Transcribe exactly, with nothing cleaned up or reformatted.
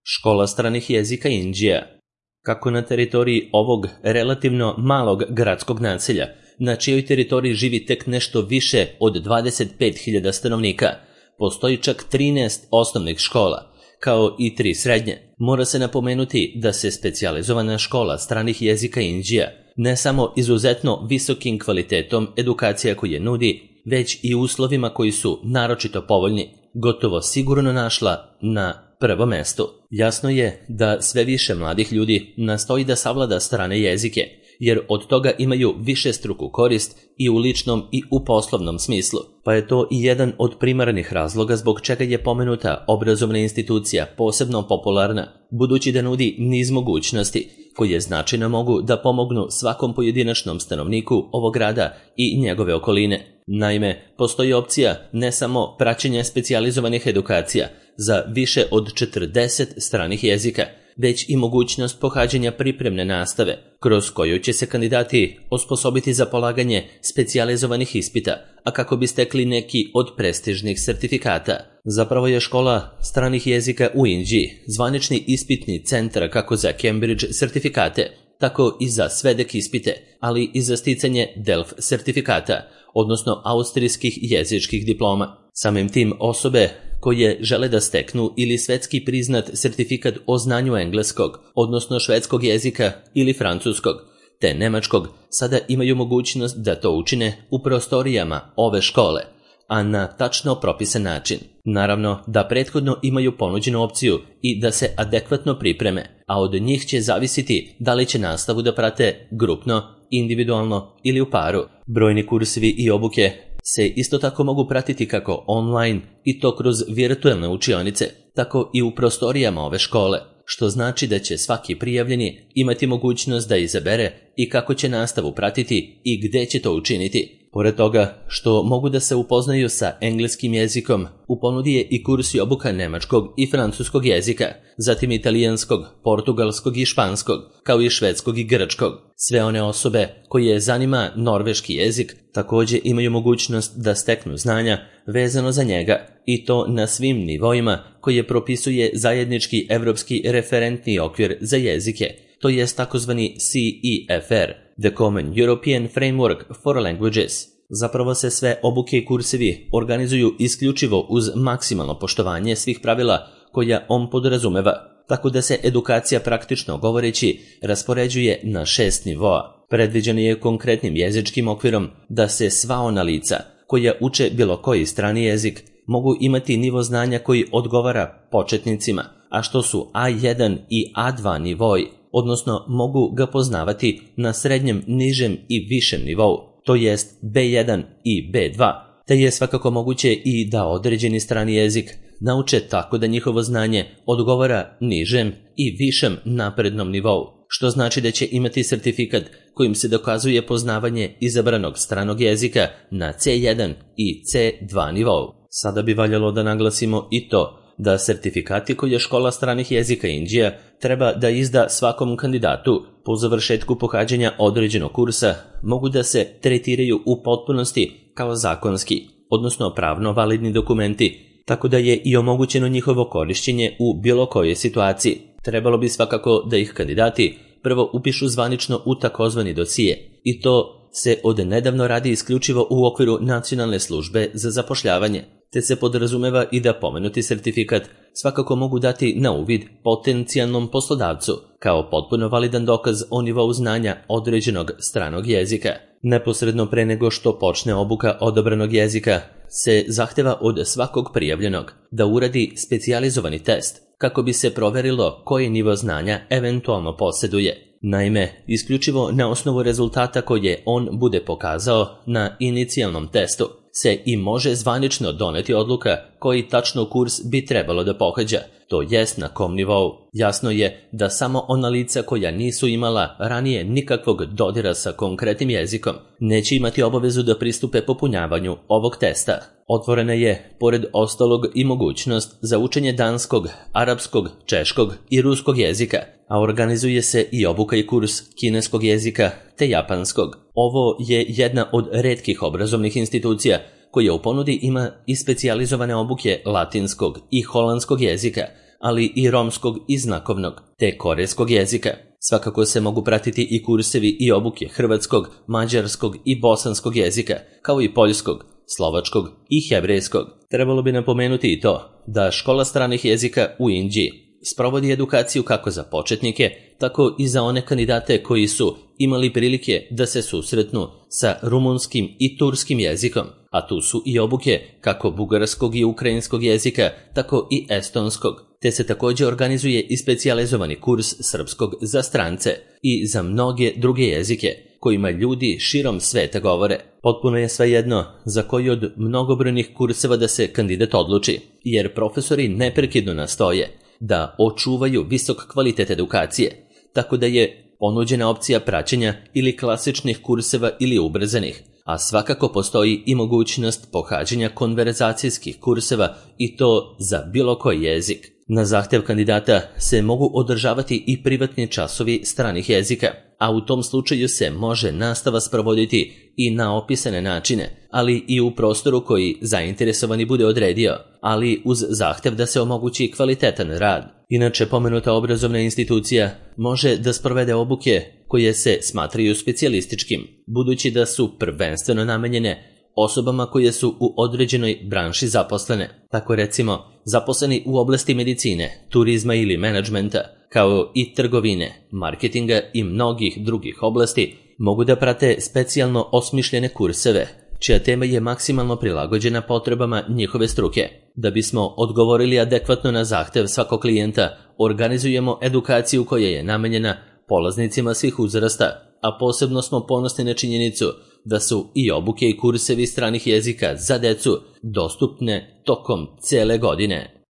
Škola stranih jezika Indija. Kako na teritoriji ovog relativno malog gradskog naselja, na čijoj teritoriji živi tek nešto više od dvadeset pet hiljada stanovnika, postoji čak trinaest osnovnih škola, kao i tri srednje. Mora se napomenuti da se specijalizovana škola stranih jezika Indija ne samo izuzetno visokim kvalitetom edukacija koje nudi, već i uslovima koji su naročito povoljni, gotovo sigurno našla na prvo mesto. Jasno je da sve više mladih ljudi nastoji da savlada strane jezike, jer od toga imaju višestruku korist i u ličnom i u poslovnom smislu. Pa je to i jedan od primarnih razloga zbog čega je pomenuta obrazovna institucija posebno popularna, budući da nudi niz mogućnosti koje značajno mogu da pomognu svakom pojedinačnom stanovniku ovog grada i njegove okoline. Naime, postoji opcija ne samo praćenja specijalizovanih edukacija za više od četrdeset stranih jezika, već i mogućnost pohađanja pripremne nastave, kroz koju će se kandidati osposobiti za polaganje specijalizovanih ispita, a kako bi stekli neki od prestižnih sertifikata. Zapravo je škola stranih jezika u Indiji zvanični ispitni centar kako za Cambridge sertifikate, tako i za svedek ispite, ali i za sticanje Delft sertifikata, odnosno austrijskih jezičkih diploma. Samim tim osobe koje žele da steknu ili svetski priznat sertifikat o znanju engleskog, odnosno švedskog jezika ili francuskog, te nemačkog, sada imaju mogućnost da to učine u prostorijama ove škole, a na tačno propisan način. Naravno da prethodno imaju ponuđenu opciju i da se adekvatno pripreme, a od njih će zavisiti da li će nastavu da prate grupno, individualno ili u paru. Brojni kursevi i obuke se isto tako mogu pratiti kako online i to kroz virtualne učionice, tako i u prostorijama ove škole, što znači da će svaki prijavljeni imati mogućnost da izabere i kako će nastavu pratiti i gde će to učiniti. Pored toga što mogu da se upoznaju sa engleskim jezikom, u ponudi je i kurs i obuka nemačkog i francuskog jezika, zatim italijanskog, portugalskog i španskog, kao i švedskog i grčkog. Sve one osobe koje zanima norveški jezik također imaju mogućnost da steknu znanja vezano za njega, i to na svim nivoima koje propisuje zajednički evropski referentni okvir za jezike, to jest takozvani C E F R, The Common European Framework for Languages. Zapravo se sve obuke i kursevi organizuju isključivo uz maksimalno poštovanje svih pravila koja on podrazumeva, tako da se edukacija praktično govoreći raspoređuje na šest nivoa. Predviđeno je konkretnim jezičkim okvirom da se sva ona lica koja uče bilo koji strani jezik mogu imati nivo znanja koji odgovara početnicima, a što su A jedan i A dva nivoi, odnosno mogu ga poznavati na srednjem, nižem i višem nivou, to jest B jedan i B dva, te je svakako moguće i da određeni strani jezik nauče tako da njihovo znanje odgovara nižem i višem naprednom nivou, što znači da će imati sertifikat kojim se dokazuje poznavanje izabranog stranog jezika na C jedan i C dva nivou. Sada bi valjalo da naglasimo i to da sertifikati koje škola stranih jezika Indija treba da izda svakom kandidatu po završetku pohađanja određenog kursa mogu da se tretiraju u potpunosti kao zakonski, odnosno pravno validni dokumenti, tako da je i omogućeno njihovo korišćenje u bilo kojoj situaciji. Trebalo bi svakako da ih kandidati prvo upišu zvanično u takozvani dosije, i to se od nedavno radi isključivo u okviru Nacionalne službe za zapošljavanje, te se podrazumeva i da pomenuti sertifikat svakako mogu dati na uvid potencijalnom poslodavcu kao potpuno validan dokaz o nivou znanja određenog stranog jezika. Neposredno pre nego što počne obuka odabranog jezika se zahteva od svakog prijavljenog da uradi specijalizovani test kako bi se proverilo koji nivo znanja eventualno posjeduje. Naime, isključivo na osnovu rezultata koje on bude pokazao na inicijalnom testu se i može zvanično doneti odluka koji tačno kurs bi trebalo da pohađa, to jest na kom nivou. Jasno je da samo ona lica koja nisu imala ranije nikakvog dodira sa konkretnim jezikom neće imati obavezu da pristupe popunjavanju ovog testa. Otvorena je, pored ostalog, i mogućnost za učenje danskog, arapskog, češkog i ruskog jezika, a organizuje se i obuka i kurs kineskog jezika te japanskog. Ovo je jedna od retkih obrazovnih institucija koja u ponudi ima i specijalizovane obuke latinskog i holandskog jezika, ali i romskog i znakovnog, te korejskog jezika. Svakako se mogu pratiti i kursevi i obuke hrvatskog, mađarskog i bosanskog jezika, kao i poljskog, slovačkog i hebrejskog. Trebalo bi napomenuti i to da škola stranih jezika u Indiji sprovodi edukaciju kako za početnike, tako i za one kandidate koji su imali prilike da se susretnu sa rumunskim i turskim jezikom, a tu su i obuke kako bugarskog i ukrajinskog jezika, tako i estonskog, te se također organizuje i specijalizovani kurs srpskog za strance i za mnoge druge jezike, kojima ljudi širom sveta govore. Potpuno je svejedno za koji od mnogobrojnih kurseva da se kandidat odluči, jer profesori neprekidno nastoje da očuvaju visok kvalitet edukacije, tako da je ponuđena opcija praćenja ili klasičnih kurseva ili ubrzanih, a svakako postoji i mogućnost pohađanja konverzacijskih kurseva i to za bilo koji jezik. Na zahtjev kandidata se mogu održavati i privatni časovi stranih jezika, a u tom slučaju se može nastava sprovoditi i na opisane načine, ali i u prostoru koji zainteresovani bude odredio, ali uz zahtjev da se omogući kvalitetan rad. Inače, pomenuta obrazovna institucija može da sprovede obuke koje se smatraju specijalističkim, budući da su prvenstveno namenjene osobama koje su u određenoj branši zaposlene, tako recimo zaposleni u oblasti medicine, turizma ili menadžmenta, kao i trgovine, marketinga i mnogih drugih oblasti, mogu da prate specijalno osmišljene kurseve, čija tema je maksimalno prilagođena potrebama njihove struke. Da bismo odgovorili adekvatno na zahtev svakog klijenta, organizujemo edukaciju koja je namenjena polaznicima svih uzrasta, a posebno smo ponosni na činjenicu da su i obuke i kursevi stranih jezika za decu dostupne tokom cele godine.